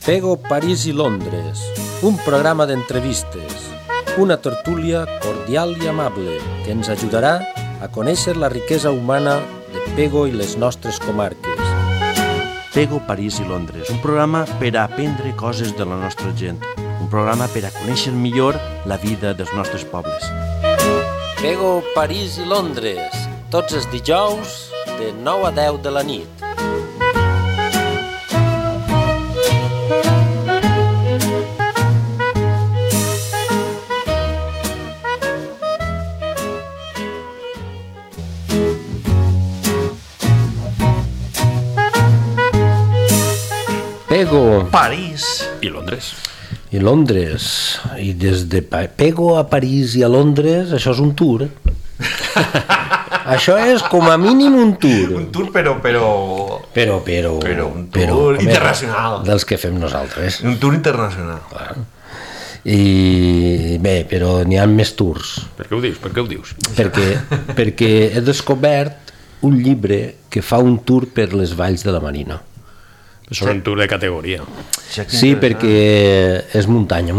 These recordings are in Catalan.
Pego, París i Londres, un programa d'entrevistes, una tertúlia cordial i amable que ens ajudarà a conèixer la riquesa humana de Pego i les nostres comarques. Pego, París i Londres, un programa per a aprendre coses de la nostra gent, un programa per a conèixer millor la vida dels nostres pobles. Pego, París i Londres, tots els dijous de 9 a 10 de la nit. Pego, París i Londres. I Londres. I des de Pego a París i a Londres, això és un tour. Això és com a mínim un tour. Un tour, però un tour internacional. Dels que fem nosaltres. Un tour internacional. Clar. I bé, però n'hi ha més tours. Per què ho dius? Perquè he descobert un llibre que fa un tour per les valls de la Marina. És un tour de categoria. Sí, perquè és muntanya.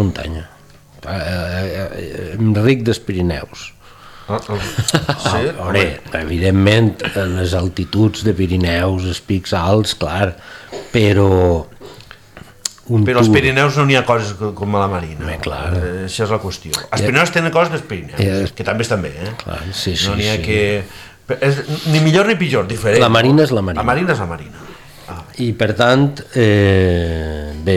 Ric dels Pirineus. Sí? Evidentment, les altituds de Pirineus, els pics alts, clar, però... Però als Pirineus no n'hi ha coses com a la Marina. Clar. Això és la qüestió. Els Pirineus tenen coses dels Pirineus, que també estan bé, Clar, sí. No n'hi ha que... Ni millor ni pitjor, diferent. La Marina és la Marina. La Marina és la Marina. I per tant, bé,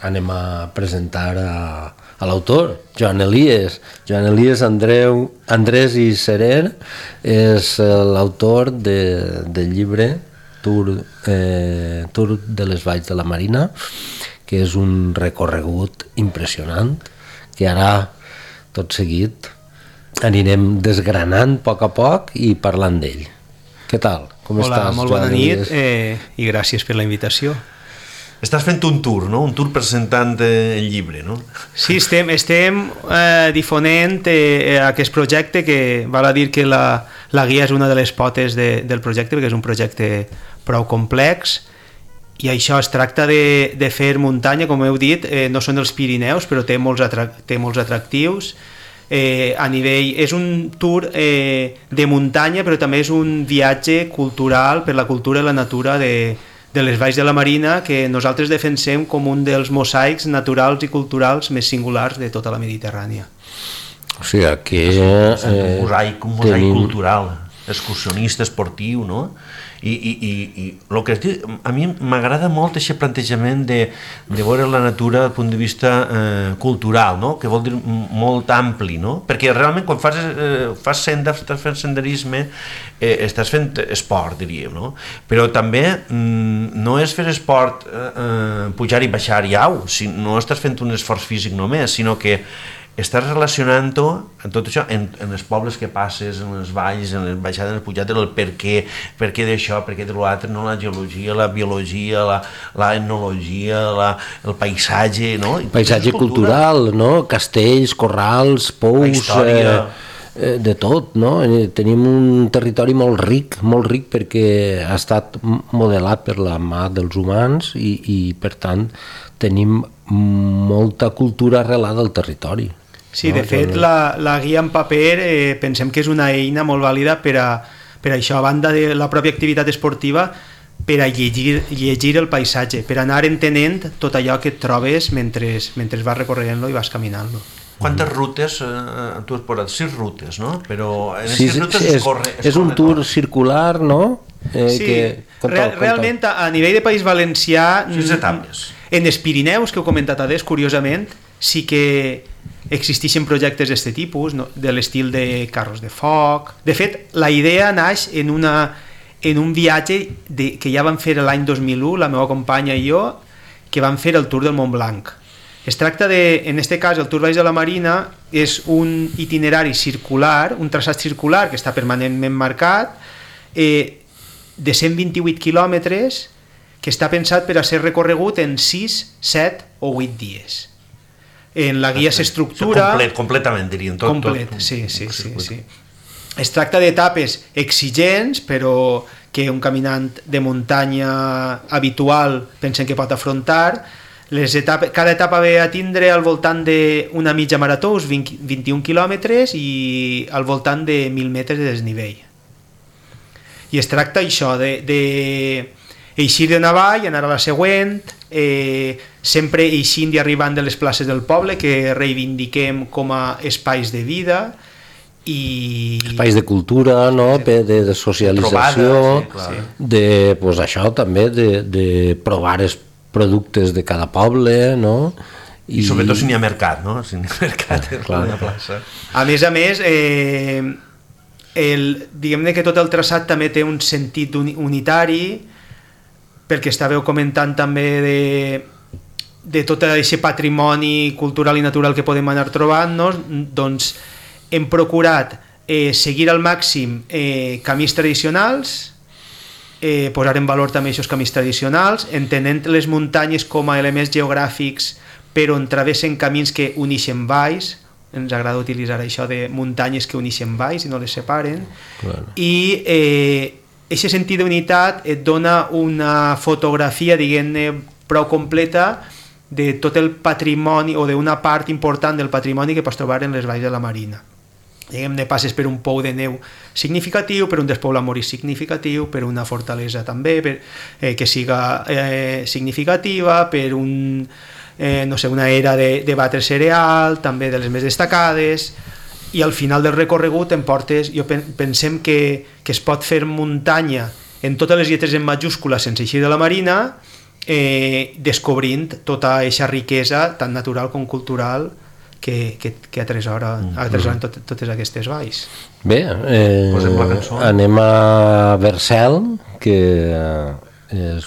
anem a presentar a l'autor, Joan Elies Andrés i Serer és l'autor del llibre Tour de les Valls de la Marina, que és un recorregut impressionant que ara tot seguit anirem desgranant a poc i parlant d'ell. Què tal? Com Hola, estàs, molt bona nit i gràcies per la invitació. Estàs fent un tour, no? Un tour presentant el llibre, no? Sí, estem difonent aquest projecte, que val a dir que la guia és una de les potes del projecte, perquè és un projecte prou complex, i això es tracta de fer muntanya, com heu dit, no són els Pirineus, però té molts atractius. A nivell, és un tour de muntanya, però també és un viatge cultural per la cultura i la natura de les valls de la Marina, que nosaltres defensem com un dels mosaics naturals i culturals més singulars de tota la Mediterrània. O sigui, que un mosaic cultural, excursionista, esportiu, no? I el que es diu, a mi m'agrada molt aquest plantejament de veure la natura del punt de vista cultural, no? Que vol dir molt ampli, no? Perquè realment quan fas senda, estàs fent senderisme, estàs fent esport, diríem, no? Però també no és fer esport pujar i baixar i au, no estàs fent un esforç físic només, sinó que estàs relacionant-ho en tot això, en els pobles que passes, en les valls, en les baixades, en les pujades, el per què d'això, per què de l'altre, no? La geologia, la biologia, la etnologia, el paisatge, no? Paisatge cultural, no? Castells, corrals, pous, de tot, no? Tenim un territori molt ric perquè ha estat modelat per la mà dels humans i per tant tenim molta cultura arrelada al territori. Sí, de fet, la guia en paper pensem que és una eina molt vàlida per això, a banda de la pròpia activitat esportiva, per a llegir el paisatge, per anar entenent tot allò que et trobes mentre vas recorrent-lo i vas caminant-lo. Quantes rutes tu has posat? 6 rutes, no? Però en aquestes rutes es corre un tour circular, no? Sí, realment a nivell de País Valencià, 6 etapes. En els Pirineus, que heu comentat adés, curiosament, sí que existeixen projectes d'aquest tipus, no? De l'estil de carros de foc. De fet, la idea naix en un viatge que ja vam fer l'any 2001, la meva companya i jo, que vam fer el Tour del Mont Blanc. Es tracta en aquest cas, el Tour Valls de la Marina és un itinerari circular, un traçat circular que està permanentment marcat, de 128 quilòmetres, que està pensat per a ser recorregut en 6, 7 o 8 dies. En la guia s'estructura... Completament, diríem. Sí. Es tracta d'etapes exigents, però que un caminant de muntanya habitual pensen que pot afrontar. Cada etapa ve a tindre al voltant d'una mitja marató, uns 21 quilòmetres, i al voltant de 1.000 metres de desnivell. I es tracta això, d'eixir d'una vall, anar a la següent, sempre eixint i arribant de les places del poble, que reivindiquem com a espais de vida, i espais de cultura, no? De socialització, de, pues, això també, de provar els productes de cada poble, no? I sobretot si n'hi ha mercat, no? Si n'hi ha mercat en una plaça. A més, diguem-ne que tot el traçat també té un sentit unitari, perquè estàveu comentant també de tot aquest patrimoni cultural i natural que podem anar trobant-nos. Doncs hem procurat seguir al màxim camins tradicionals, posar en valor també aquests camins tradicionals, entenent les muntanyes com a elements geogràfics per on travessen camins que uneixen valls. Ens agrada utilitzar això de muntanyes que uneixen valls i no les separen. Claro. I aquest sentit d'unitat et dona una fotografia, diguem-ne, prou completa de tot el patrimoni, o d'una part important del patrimoni que pots trobar en les valls de la Marina. Diguem-ne, passes per un pou de neu significatiu, per un despoble morí significatiu, per una fortalesa també que siga significativa, per una era de batre cereal, també de les més destacades, i al final del recorregut pensem que es pot fer muntanya en totes les lletres en majúscules sense eixir de la Marina, descobrint tota aquesta riquesa tant natural com cultural que atresoren totes aquestes valls. Bé, anem a Vercel, que és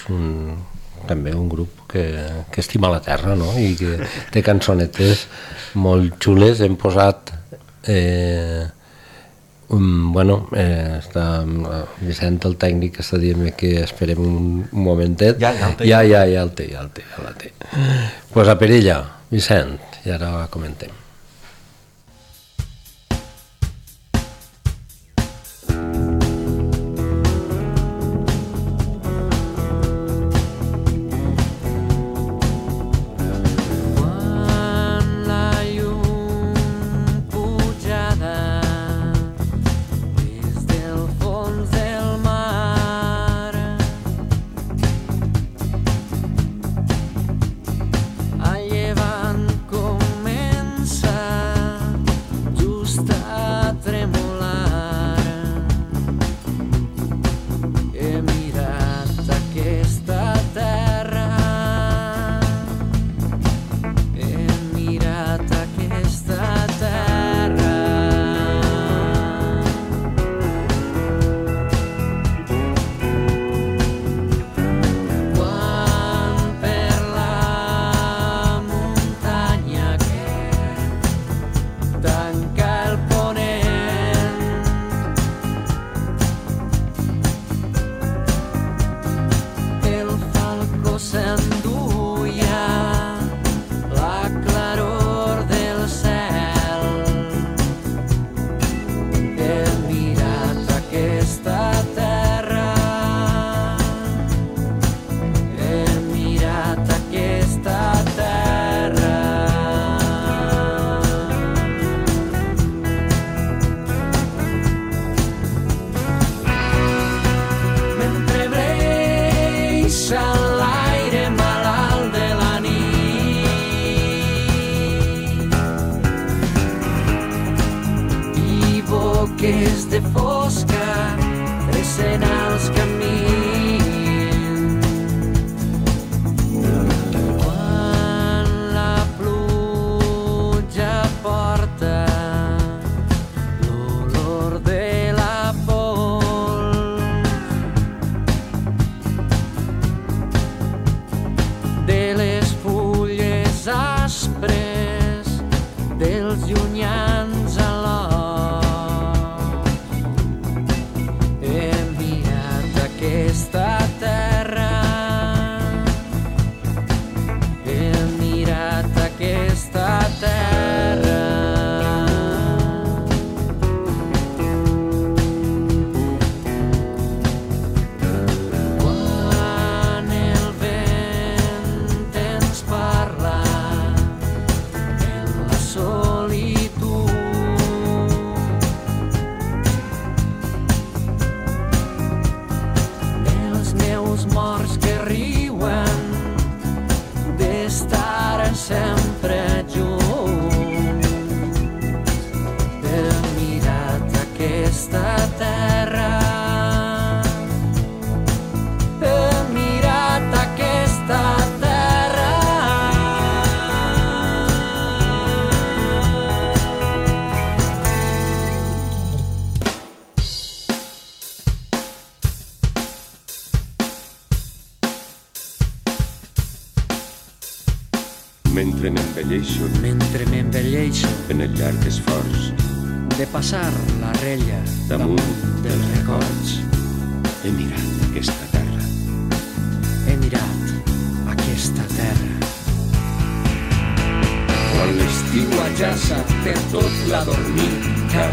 també un grup que estima la terra, no? I que té cançonetes molt xules. Hem posat està Vicent, el tècnic, està dient que esperem un momentet. Ja el té. Pues a per ella, Vicent, i ara comentem. He mirat mentre m'envelleixo en el llarg esforç de passar la rella damunt dels records. he mirat aquesta terra. He mirat aquesta terra. Quan l'estiu Ajaça per tot la dormica.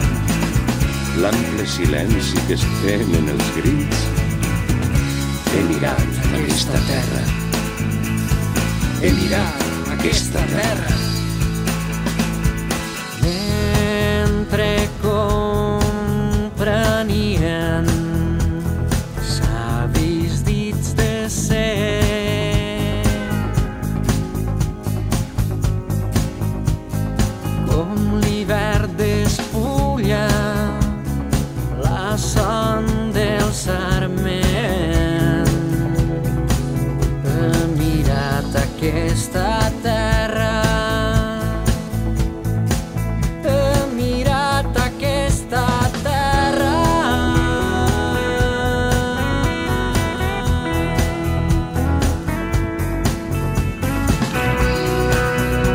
l'ample silenci que es tenen els grits, he mirat Aquesta terra. He mirat aquesta terra. Mentre comprenien savis dits de ser, com l'hivern despulla la son del sarment. He mirat aquesta terra. He mirat aquesta terra.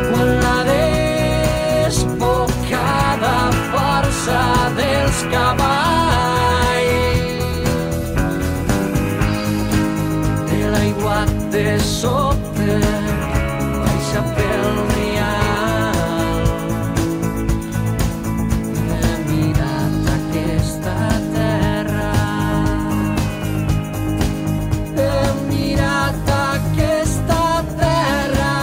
Quan la desbocada força dels cavalls de l'aiguat de sota baixa pel rial. He mirat aquesta terra. He mirat aquesta terra.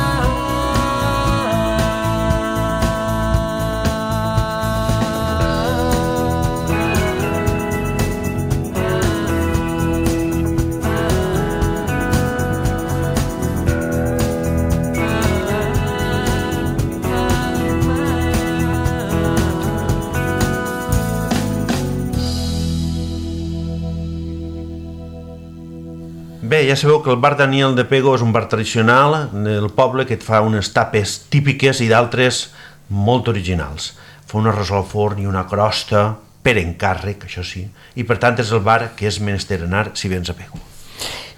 Bé, ja sabeu que el bar Daniel de Pego és un bar tradicional del poble que et fa unes tapes típiques i d'altres molt originals. Fa un arròs al forn i una crosta per encàrrec, això sí, i per tant és el bar que és menester anar si vens a Pego.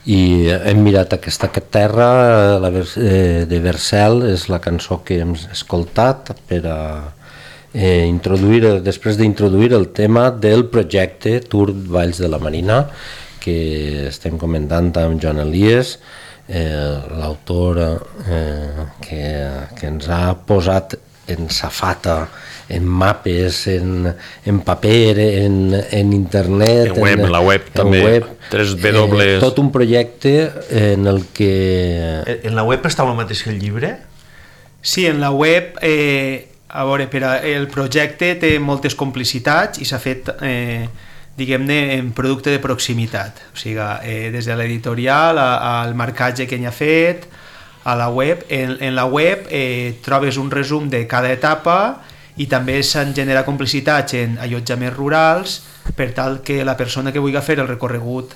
I hem mirat aquesta terra, de Vercel, és la cançó que hem escoltat per a introduir, després d'introduir el tema del projecte Tour Valls de la Marina, que estem comentant amb Joan Elies, l'autor que ens ha posat en safata, en mapes, en paper, en internet, En web, en la web també, 3W. Tot un projecte en el que... En la web està el mateix que el llibre? Sí, en la web, a veure, el projecte té moltes complicitats i s'ha fet, diguem-ne, en producte de proximitat. O sigui, des de l'editorial al marcatge que n'hi ha fet, a la web. En la web trobes un resum de cada etapa i també s'han generat complicitats en allotjaments rurals per tal que la persona que vulgui fer el recorregut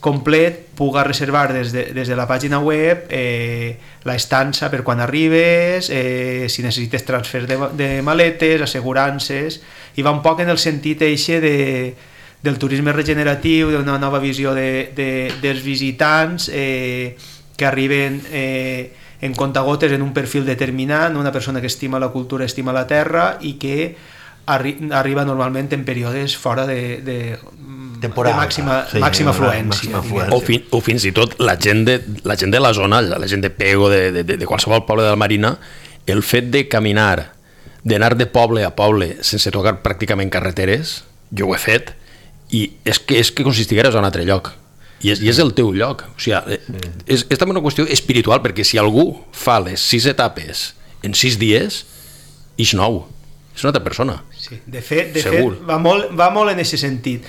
complet puga reservar des de la pàgina web l'estança per quan arribes, si necessites transfer de maletes, assegurances, i va un poc en el sentit eixe del turisme regeneratiu, d'una nova visió dels visitants que arriben en comptagotes en un perfil determinat, una persona que estima la cultura, estima la terra i que arriba normalment en períodes fora de màxima afluència. O fins i tot la gent de la zona, la gent de Pego, de qualsevol poble de la Marina, el fet de caminar, d'anar de poble a poble sense tocar pràcticament carreteres, jo ho he fet, i és que consistigueres a un altre lloc. I és el teu lloc. O sigui, és també una qüestió espiritual, perquè si algú fa les 6 etapes en 6 dies, és nou. És una altra persona. Sí, de fet va molt en aquest sentit.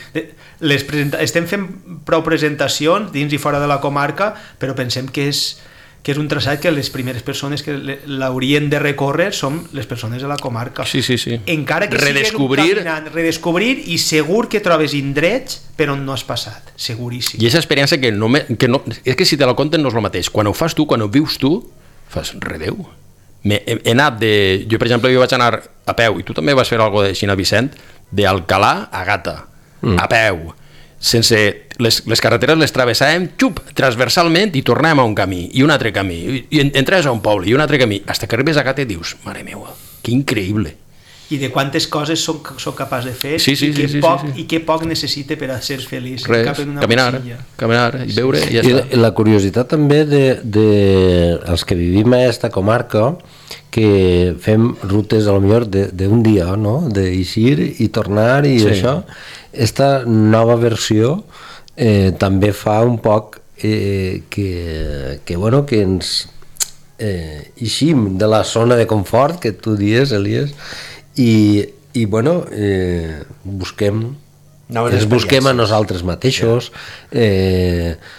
Estem fent prou presentacions dins i fora de la comarca, però pensem que és un traçat que les primeres persones que l'haurien de recórrer són les persones de la comarca. Sí. Encara que redescobrir i segur que trobes indrets per on no has passat, seguríssim. I aquesta experiència que no, és que si te la conten no és el mateix. Quan ho fas tu, quan ho vius tu, fas redeu. He anat jo per exemple vaig anar a peu, i tu també vas fer alguna cosa així a Vicent, d'Alcalà a Gata, a peu, sense les carreteres les travessàvem transversalment i tornàvem a un camí i un altre camí i entres a un poble i un altre camí fins que arribes a Gata i dius, mare meua, que increïble. I de quantes coses soc capaç de fer i què poc necessite per a ser feliç. Res, caminar i veure i ja està. I la curiositat també dels que vivim a aquesta comarca, que fem rutes a lo millor d'un dia, no? D'eixir i tornar i això. Esta nova versió també fa un poc que ens eixim de la zona de confort que tu dius, Elies, i bueno, ens busquem a nosaltres mateixos,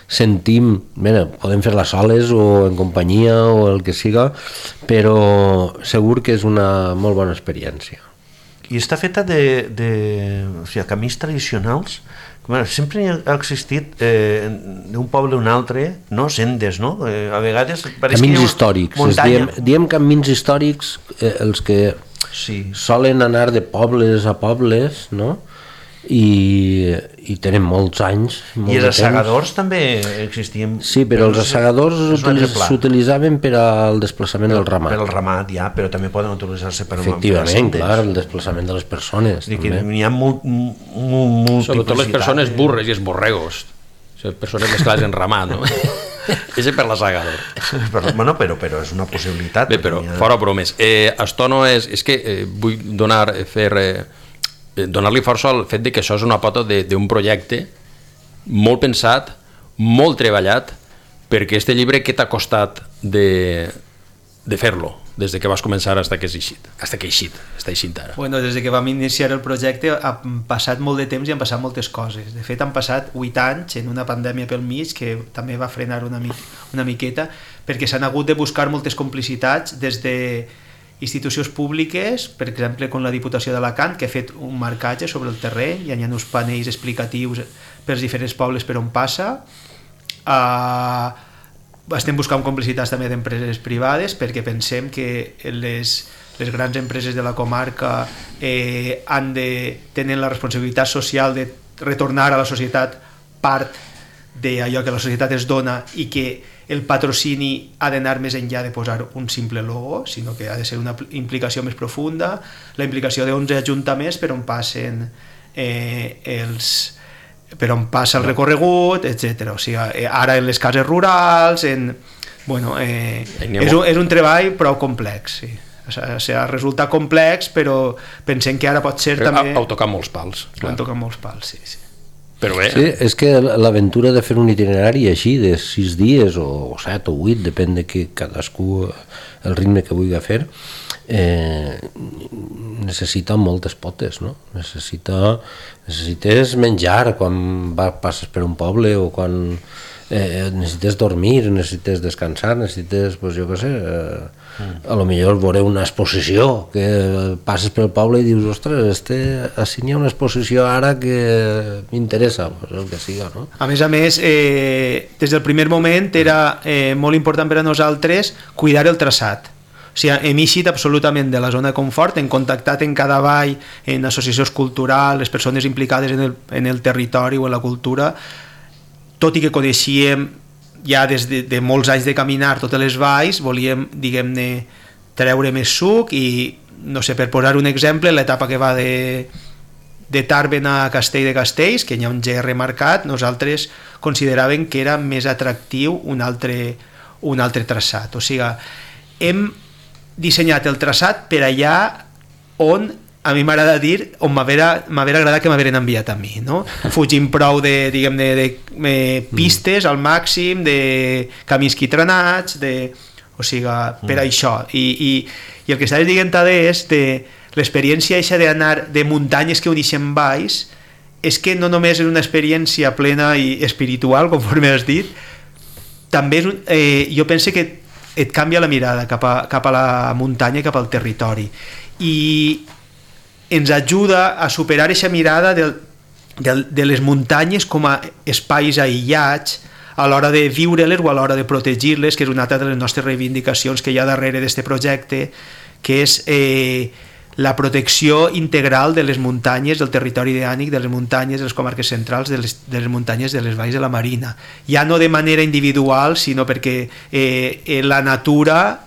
sentim, podem fer-la soles o en companyia o el que siga, però segur que és una molt bona experiència. I està feta de camins tradicionals. Sempre ha existit d'un poble a un altre, no? Sendes, no? A vegades camins històrics, diem camins històrics, els que solen anar de pobles a pobles, no? I tenen molts anys. I els assegadors també existien? Sí, però els assegadors s'utilitzaven per al desplaçament del ramat. Per al ramat, ja, però també poden utilitzar-se per efectivament, clar, el desplaçament de les persones. N'hi ha sobretot les persones burres i els borregos. Persones mesclades en ramat, no? És per l'assegador. Però és una possibilitat. Bé, però fora bromes. Esto no és que vull donar-li força al fet que això és una pota d'un projecte molt pensat, molt treballat, perquè este llibre què t'ha costat de fer-lo, des que vas començar fins que és eixit, està eixint ara? Bueno, des que vam iniciar el projecte ha passat molt de temps i han passat moltes coses. De fet, han passat 8 anys en una pandèmia pel mig que també va frenar una miqueta, perquè s'han hagut de buscar moltes complicitats des de institucions públiques, per exemple com la Diputació d'Alacant, que ha fet un marcatge sobre el terreny i hi ha uns panells explicatius per als diferents pobles per on passa. Estem buscant complicitats també d'empreses privades, perquè pensem que les grans empreses de la comarca tenen la responsabilitat social de retornar a la societat part d'allò que la societat es dona, i que el patrocini ha d'anar més enllà de posar un simple logo, sinó que ha de ser una implicació més profunda, la implicació d'11 ajuntaments per on passen per on passa el recorregut, etc. O sigui, ara en les cases rurals, és un treball prou complex, sí. O sigui, resulta complex, però pensem que ara pot ser també... Heu tocat molts pals. Heu tocat molts pals, sí. Però bé. Sí, és que l'aventura de fer un itinerari així de 6 dies o 7 o 8, depèn de que cadascú el ritme que vulgui fer, necessita moltes potes, no? Necessites menjar quan passes per un poble, o quan necessites dormir, necessites descansar, necessites, pues, jo què sé, a lo millor veure una exposició, que passes pel poble i dius, ostres, així n'hi ha una exposició ara que m'interessa, pues, el que siga, no? A més, des del primer moment era molt important per a nosaltres cuidar el traçat. O sigui, hem eixit absolutament de la zona de confort, hem contactat en cada vall, en associacions culturals, les persones implicades en el territori o en la cultura, tot i que coneixíem ja des de molts anys de caminar totes les valls, volíem, diguem-ne, treure més suc i, no sé, per posar un exemple, l'etapa que va de Tàrbena a Castell de Castells, que hi ha un GR marcat, nosaltres consideràvem que era més atractiu un altre traçat. O sigui, hem dissenyat el traçat per allà on, a mi m'agrada dir, on m'haguera agradat que m'hagueren enviat a mi, no? Fugint prou de pistes al màxim, de camins quitranats, o sigui, per això. I el que estàs dient és de l'experiència eixa d'anar de muntanyes que uneixen valls, és que no només és una experiència plena i espiritual, conforme has dit, també jo penso que et canvia la mirada cap a la muntanya i cap al territori. I ens ajuda a superar aquesta mirada de les muntanyes com a espais aïllats a l'hora de viure-les o a l'hora de protegir-les, que és una altra de les nostres reivindicacions que hi ha darrere d'aquest projecte, que és la protecció integral de les muntanyes, del territori ideànic, de les muntanyes, de les comarques centrals, de les muntanyes de les valls de la Marina. Ja no de manera individual, sinó perquè la natura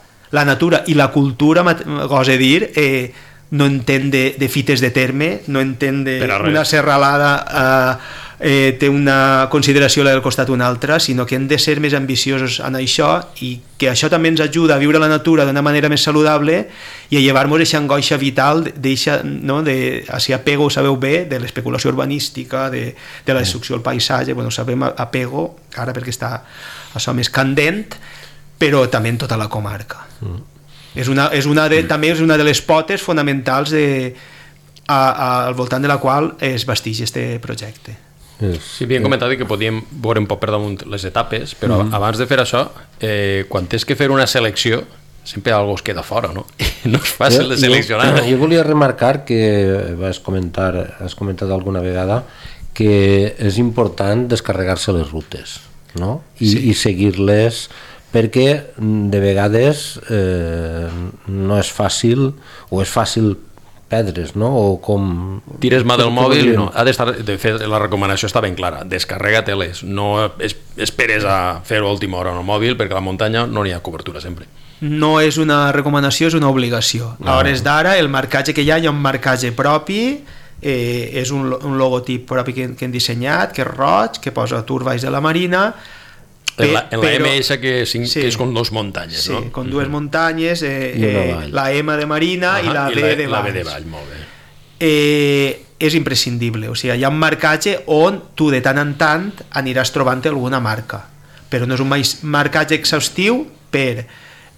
i la cultura, gosa dir, no entén de fites de terme, no entén d'una serralada té una consideració la del costat una altra, sinó que hem de ser més ambiciosos en això, i que això també ens ajuda a viure la natura d'una manera més saludable i a llevar-nos aquesta angoixa vital d'aquest apego, ho sabeu bé, de l'especulació urbanística, de la destrucció del paisatge. Bueno, sabem apego ara perquè està això més candent, però també en tota la comarca. També és una de les potes fonamentals al voltant de la qual es basteix este projecte. Sí, havíem comentat que podíem veure un poc per damunt les etapes, però abans de fer això, quan tens que fer una selecció, sempre algú es queda fora, no? No és fàcil de seleccionar. Jo volia remarcar que has comentat alguna vegada que és important descarregar-se les rutes, no? I seguir-les, perquè de vegades no és fàcil, o és fàcil perdre's, no? O com... Tires mà del mòbil, no. De fet, la recomanació està ben clara, descarrega-te-les, no esperes a fer-ho a última hora en el mòbil, perquè a la muntanya no n'hi ha cobertura sempre. No és una recomanació, és una obligació. A hores d'ara, el marcatge que hi ha un marcatge propi, és un logotip propi que hem dissenyat, que és roig, que posa Tour Valls de la Marina. En la MS que és con dos muntanyes, no? Sí, con dues muntanyes, la M de Marina i la B de Valls. La B de Valls, molt bé. És imprescindible, o sigui, hi ha un marcatge on tu de tant en tant aniràs trobant alguna marca, però no és un marcatge exhaustiu per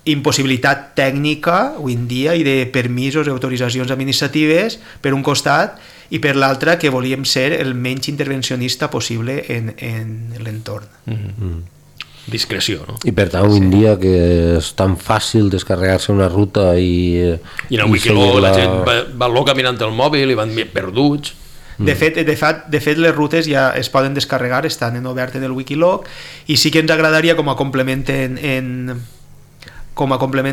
impossibilitat tècnica avui en dia i de permisos i autoritzacions administratives per un costat, i per l'altre que volíem ser el menys intervencionista possible en l'entorn. Discreció, no? I per tant, avui en dia que és tan fàcil descarregar-se una ruta i en el Wikiloc la gent va caminant el mòbil i van perduts. De fet, les rutes ja es poden descarregar, estan obert en el Wikiloc, i sí que ens agradaria, com a complement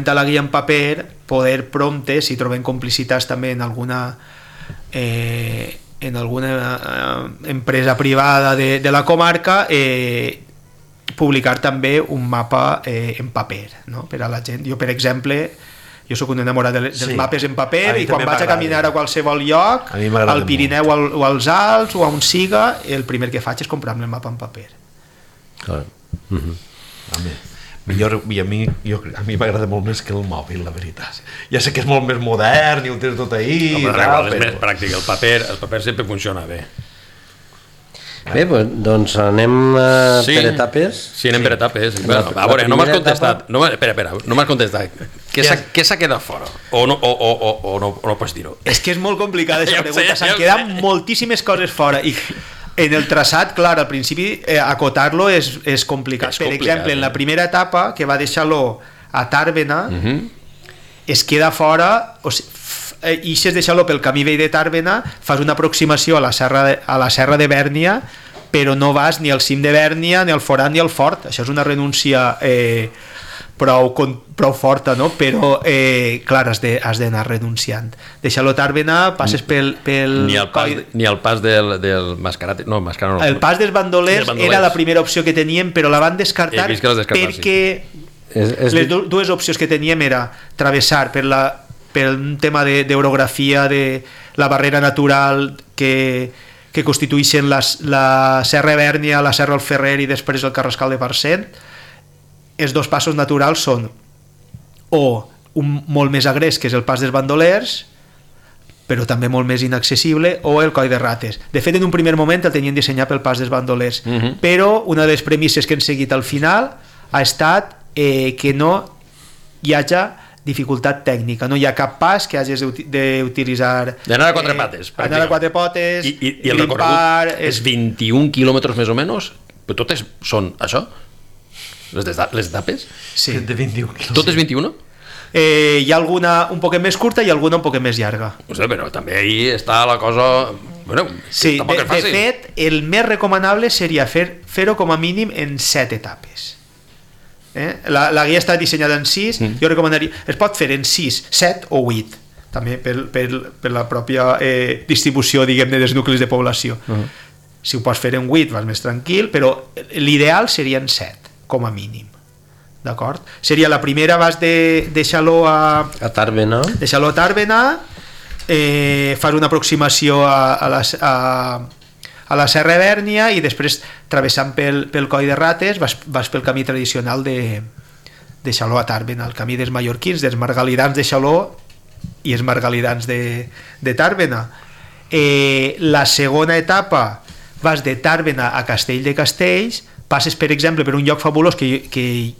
a la guia en paper, poder prompte, si trobem complicitats també en alguna empresa privada de la comarca, publicar també un mapa en paper, no? Per a la gent. Jo, per exemple, jo soc un enamorat dels mapes en paper, i quan vaig a caminar a qualsevol lloc, al Pirineu o als Alps o a on siga, el primer que faig és comprar-me el mapa en paper. A mi m'agrada molt més que el mòbil, la veritat. Ja sé que és molt més modern i ho tens tot ahí, però és més pràctic. El paper sempre funciona bé. Bé, doncs anem per etapes. Sí, anem per etapes. A veure, no m'has contestat. Espera, no m'has contestat. Què s'ha quedat fora? O no pots dir-ho? És que és molt complicada aquesta pregunta. S'han quedat moltíssimes coses fora. I en el traçat, clar, al principi acotar-lo és complicat. Per exemple, en la primera etapa, que va deixar-lo a Tàrbena, es queda fora... i si has deixat-lo pel camí vell de Tàrbena, fas una aproximació a la serra de Bèrnia, però no vas ni al cim de Bèrnia, ni al Forat, ni al Fort. Això és una renúncia prou forta, no? Però clar, has d'anar renunciant. Deixar-lo a Tàrbena, passes pel... Ni el pas del Mascarat, no, Mascarat no. El pas dels bandolers era la primera opció que teníem, però la van descartar perquè les dues opcions que teníem era travessar per un tema d'orografia, de la barrera natural que constitueixen la Serra Bèrnia, la Serra del Ferrer i després el Carrascal de Parcent. Els dos passos naturals són o un molt més agrés, que és el pas dels bandolers, però també molt més inaccessible, o el Coll de Rates. De fet, en un primer moment el tenien dissenyat pel pas dels bandolers, però una de les premisses que han seguit al final ha estat que no hi hagi dificultat tècnica, no hi ha cap pas que hagis d'utilitzar... D'anar a quatre pates. Anar a quatre potes, I el recorregut és 21 quilòmetres més o menys, però totes són això? Les etapes? Sí. De 21 quilòmetres. Totes 21? Hi ha alguna un poquet més curta i alguna un poquet més llarga. No sé, però també ahí està la cosa... Bueno, sí, de fet, el més recomanable seria fer-ho com a mínim en 7 etapes. La guia està dissenyada en 6, jo recomanaria, es pot fer en 6, 7 o 8, també per la pròpia distribució, diguem-ne, dels nuclis de població. Si ho pots fer en 8 vas més tranquil, però l'ideal serien 7, com a mínim. D'acord? Seria la primera, vas de Xaló a Tàrbena. De Xaló a Tàrbena, fas una aproximació a la Serra Bèrnia i després, travessant pel Coll de Rates, vas pel camí tradicional de Xaló a Tàrbena, el camí dels mallorquins, dels margalidans de Xaló i els margalidans de Tàrbena. La segona etapa vas de Tàrbena a Castell de Castells, passes, per exemple, per un lloc fabulós que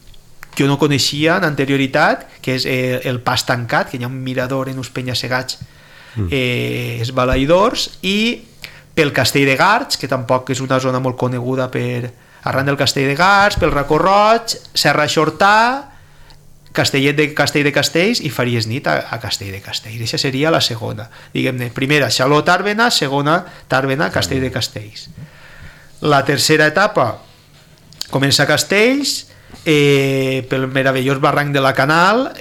jo no coneixia en anterioritat, que és el Pas Tancat, que hi ha un mirador en uns penya-segats esbalaïdors, i pel Castell de Garts, que tampoc és una zona molt coneguda arran del Castell de Garts, pel Racó Roig, Serra Xortà, Castellet de Castell de Castells, i faries nit a Castell de Castells. Aquesta seria la segona, diguem-ne, primera Xaló Tàrbena, segona Tàrbena Castell de Castells. La tercera etapa comença a Castells, pel meravellós barranc de la Canal,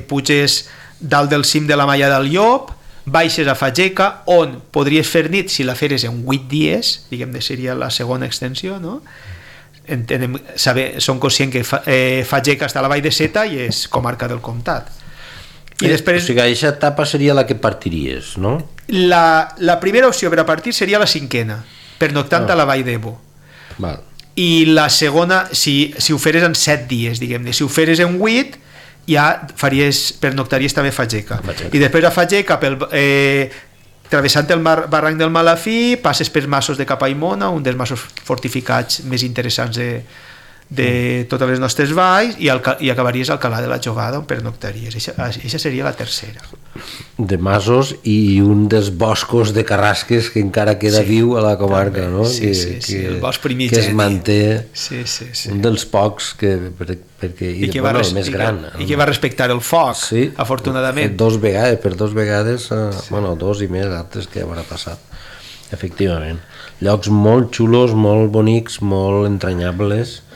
puges dalt del cim de la Malla del Llop, baixes a Fageca, on podries fer nit si la feres en 8 dies, diguem-ne, seria la segona extensió, no? Som conscients que Fageca està a la Vall de Seta i és comarca del comtat. I després, o sigui, aquesta etapa seria la que partiries, no? La primera opció per a partir seria la cinquena, pernoctant a la Vall d'Ebo. Val. I la segona, si ho feres en 7 dies, diguem-ne, si ho feres en 8 ja pernoctaries també Fageca. I després a Fageca, travessant el barranc del Malafí, passes per Massos de Capaimona, un dels massos fortificats més interessants de totes les nostres valls, i acabaries al Calà de la Jovada, on pernoctaries. Això seria la tercera. De masos i un dels boscos de carrasques que encara queda viu a la comarca, no? Sí, el bosc primigeni. Que es manté, un dels pocs perquè el més gran. I que va respectar el foc, afortunadament. Per dos vegades, bueno, dos i més altres que haurà passat. Efectivament. Llocs molt xulos, molt bonics, molt entranyables,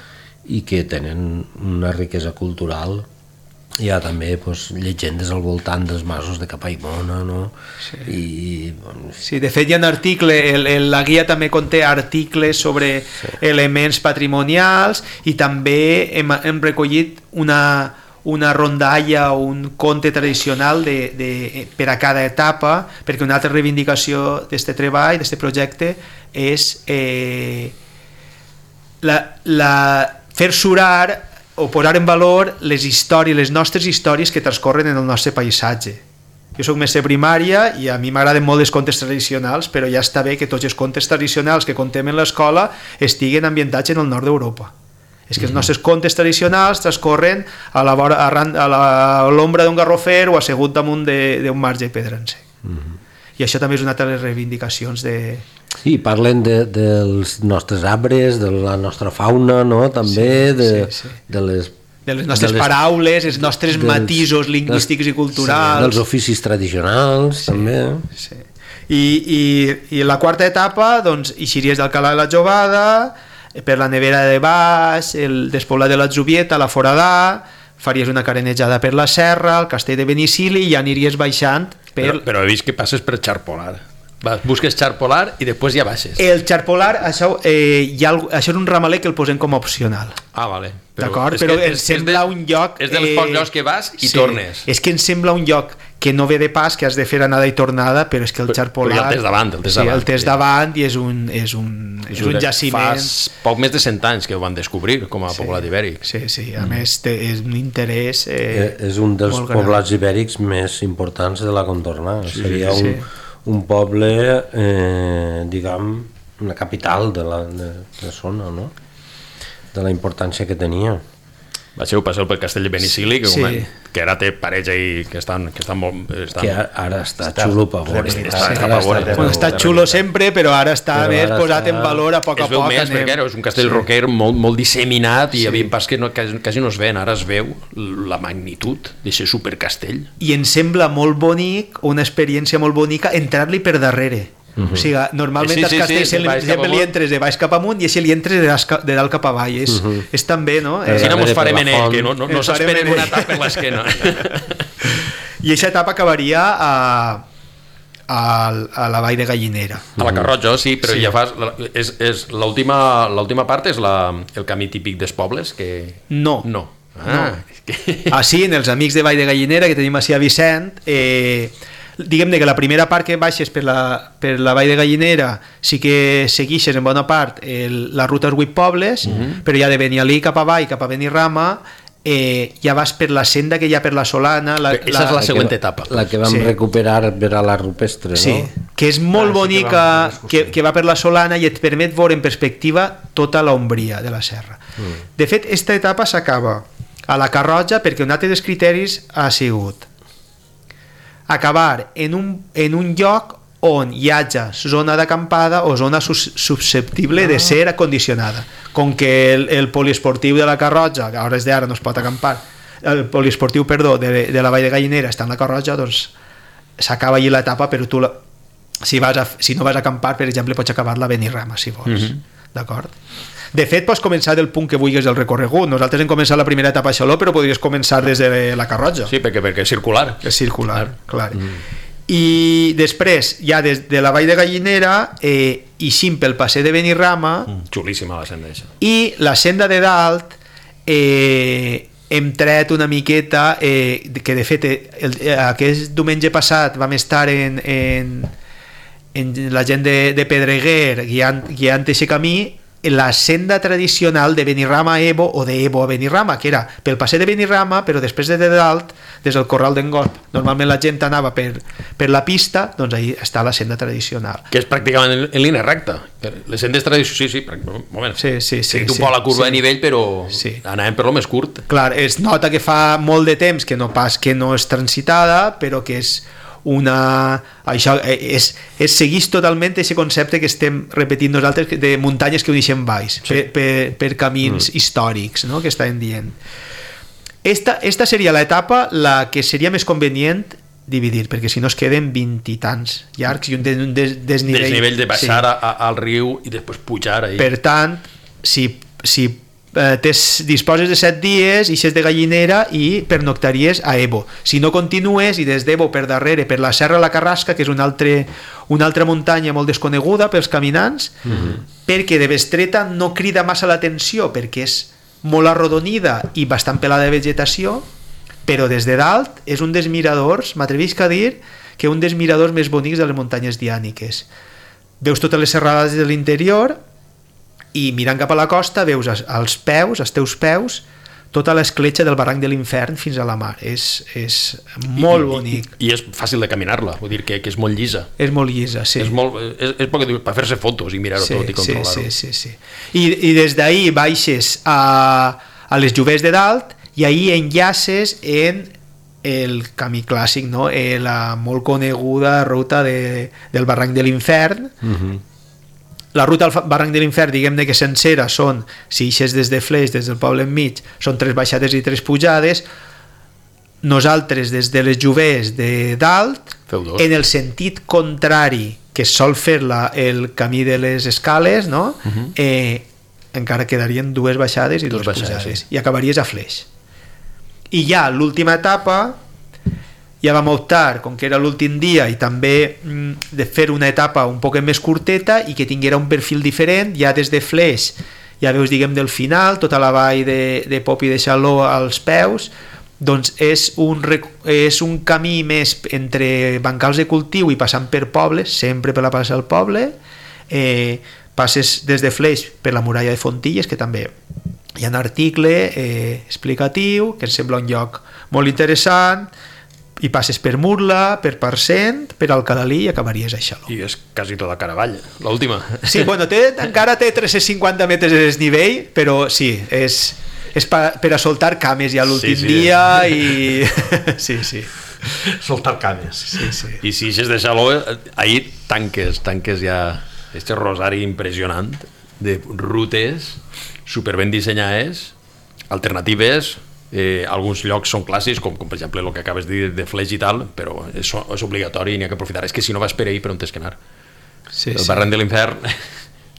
i que tenen una riquesa cultural. Hi ha també llegendes al voltant dels masos de Capaimona, no? Sí, de fet hi ha un article, la guia també conté articles sobre elements patrimonials, i també hem recollit una rondalla o un conte tradicional per a cada etapa, perquè una altra reivindicació d'aquest treball, d'aquest projecte, és fer surar o posar en valor les històries, les nostres històries que transcorren en el nostre paisatge. Jo soc mestre primària i a mi m'agraden molt els contes tradicionals, però ja està bé que tots els contes tradicionals que contem en l'escola estiguen ambientats en el nord d'Europa. És que els nostres contes tradicionals transcorren a l'ombra d'un garrofer o assegut damunt d'un marge pedrancer. I això també és una altra de les reivindicacions Sí, parlen dels nostres arbres, de la nostra fauna, no? També de les nostres paraules, els nostres matisos lingüístics i culturals, dels oficis tradicionals, també. I la quarta etapa, doncs, eixiries del Calà de la Jovada, per la Nevera de Baix, el despoblat de la Zubieta, la Foradà, faries una carenejada per la Serra, el Castell de Benicili, i ja aniries baixant Però he vist que passes per Xarpolar. Busques Xarpolar i després ja baixes. El Xarpolar, això és un ramaler que el posem com a opcional. Ah, vale. D'acord? Però ens sembla un lloc... És dels pocs llocs que vas i tornes. És que ens sembla un lloc que no ve de pas, que has de fer anada i tornada, però és que el Xarpolar... Però ja el tens davant. El tens davant i és un jaciment... Fa poc més de 100 anys que ho van descobrir com a poblat ibèric. Sí. A més, és un interès és un dels poblats ibèrics més importants de la contorna. Seria un poble, diguem, una capital de la zona, no? De la importància que tenia. Passeu pel Castell de Benicili, que ara té parets ahí que estan molt... Que ara està xulo per veure. Està xulo sempre, però ara està més posat en valor a poc a poc. Es veu més, perquè és un castell roquer molt disseminat i havia pas que quasi no es ven. Ara es veu la magnitud d'aquest supercastell. I em sembla molt bonic, una experiència molt bonica, entrar-li per darrere. O sigui, normalment als castells sempre li entres de baix cap amunt i així li entres de dalt cap avall. És també, no? Quina mos farem en ell, que no s'esperen una tapa per l'esquena. I aquesta etapa acabaria a la Vall de Gallinera. A la Carroja, sí, però Sí. ja fas... És l'última part és el camí típic dels pobles? No. No. Ah, Sí, en els amics de Vall de Gallinera que tenim així a Vicent, diguem-ne que la primera part que baixes per la Vall de Gallinera sí que seguixes en bona part la ruta als 8 pobles, però ja de Benialí cap avall, cap a Benirrama, ja vas per la senda que hi ha per la Solana. Aquesta és la següent etapa. La que vam Sí. recuperar per a la rupestre, Sí, no? que és molt sí que bonica, vam fer l'excursió. que va per la Solana i et permet veure en perspectiva tota l'ombria de la serra. De fet, esta etapa s'acaba a la Carroja perquè un altre dels criteris ha sigut acabar en un lloc on hi hagi zona d'acampada o zona susceptible de ser acondicionada. Com que el poliesportiu de la Carroja, que a hores d'ara no es pot acampar, el poliesportiu, perdó, de la Vall de Gallinera està en la Carroja, doncs s'acaba allí l'etapa, però tu si no vas a acampar, per exemple, pots acabar-la a Benirrama, si vols. D'acord? De fet, pots començar del punt que vulguis del recorregut. Nosaltres hem començat la primera etapa a Xaló, però podries començar des de la Carroja. Sí, perquè és circular. És circular, clar. I després, ja des de la Vall de Gallinera, eixim pel passeig de Benirrama, Xulíssima la senda eixa. i la senda de dalt hem tret una miqueta, que de fet aquest diumenge passat vam estar en la gent de Pedreguer guiant aquest camí, la senda tradicional de Benirrama a Ebo o de Ebo a Benirrama, que era pel passeig de Benirrama, però després de dalt, des del Corral d'en Gorb, normalment la gent anava per la pista, doncs ahí està la senda tradicional. Que és pràcticament en línia recta. Les sendes tradicionals, sí, moment. Sí. Un poc la curva de nivell, però Sí. anàvem per lo més curt. Clar, es nota que fa molt de temps que no és transitada, però que és això segueix totalment aquest concepte que estem repetint nosaltres de muntanyes que uneixen valls, sí. per camins històrics, no?, que estàvem dient. Esta seria l'etapa la que seria més convenient dividir, perquè si no es queden 20 i tants llargs i un desnivell. Desnivell de baixar al riu i després pujar ahí. Per tant, si disposes de 7 dies, ixes de Gallinera i pernoctaries a Ebo. Si no continues i des d'Ebo per darrere, per la Serra de la Carrasca, que és una altra muntanya molt desconeguda pels caminants, perquè de Bestreta no crida massa l'atenció, perquè és molt arrodonida i bastant pelada de vegetació, però des de dalt és un dels miradors, m'atrevisc a dir que un dels miradors més bonics de les muntanyes diàniques. Veus totes les serrades de l'interior i mirant cap a la costa veus als teus peus, tota l'escletxa del barranc de l'Infern fins a la mar. És molt bonic. I és fàcil de caminar-la, vull dir que és molt llisa. És molt llisa, sí. És per fer-se fotos i mirar-ho tot i controlar-ho. Sí. I des d'ahí baixes a les Jovers de dalt i ahí enllaces en el camí clàssic, no? La molt coneguda ruta del barranc de l'Infern. La ruta al barranc de l'Infern, diguem-ne que sencera són, si ixes des de Fleix, des del poble enmig, són 3 baixades i 3 pujades. Nosaltres des de les Jovers de dalt, en el sentit contrari que es sol fer el camí de les escales, no? Encara quedarien 2 baixades i 2 pujades, sí. I acabaries a Fleix. I ja l'última etapa ja vam optar, com que era l'últim dia, i també de fer una etapa un poc més curteta i que tinguera un perfil diferent. Ja des de Fleix ja veus, diguem, del final tota la vall de Pop i de Xaló als peus. Doncs és un camí més entre bancals de cultiu i passant per pobles, sempre per la plaça del poble. Passes des de Fleix per la muralla de Fontilles, que també hi ha un article explicatiu que ens sembla un lloc molt interessant, i passes per Murla, per Parcent, per Alcalalí i acabaries a Xaló. I és quasi tota Caravall, l'última. Sí, bueno, encara té 350 metres de desnivell, però sí, és per a soltar cames ja l'últim dia i... sí. Soltar cames. Sí. I si eixes de Xaló, ahir tanques ja este rosari impressionant de rutes superben dissenyades, alternatives. Alguns llocs són clàssics, com per exemple el que acabes de dir de Fleix i tal, però és obligatori i n'hi ha que aprofitar. És que si no vas per ahir, per on tens que anar? El barranc de l'Infern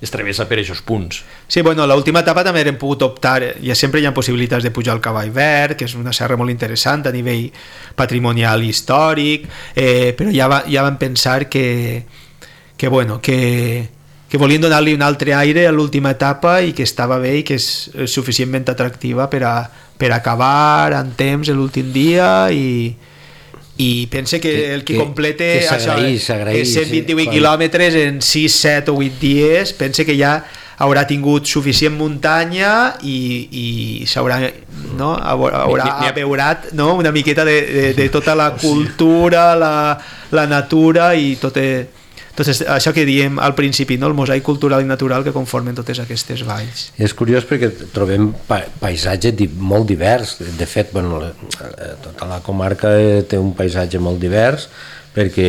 es travessa per aquests punts. Sí, bueno, l'última etapa també hem pogut optar, ja sempre hi ha possibilitats de pujar al Cavall Verd, que és una serra molt interessant a nivell patrimonial i històric, però ja vam pensar que volien donar-li un altre aire a l'última etapa i que estava bé i que és suficientment atractiva per acabar en temps l'últim dia i pense que el que complete això, 128 quilòmetres en 6, 7 o 8 dies, pense que ja haurà tingut suficient muntanya i s'haurà abeurat una miqueta de tota la cultura, la natura i tot això que diem al principi, el mosaic cultural i natural que conformen totes aquestes valls. És curiós perquè trobem paisatge molt divers. De fet, tota la comarca té un paisatge molt divers perquè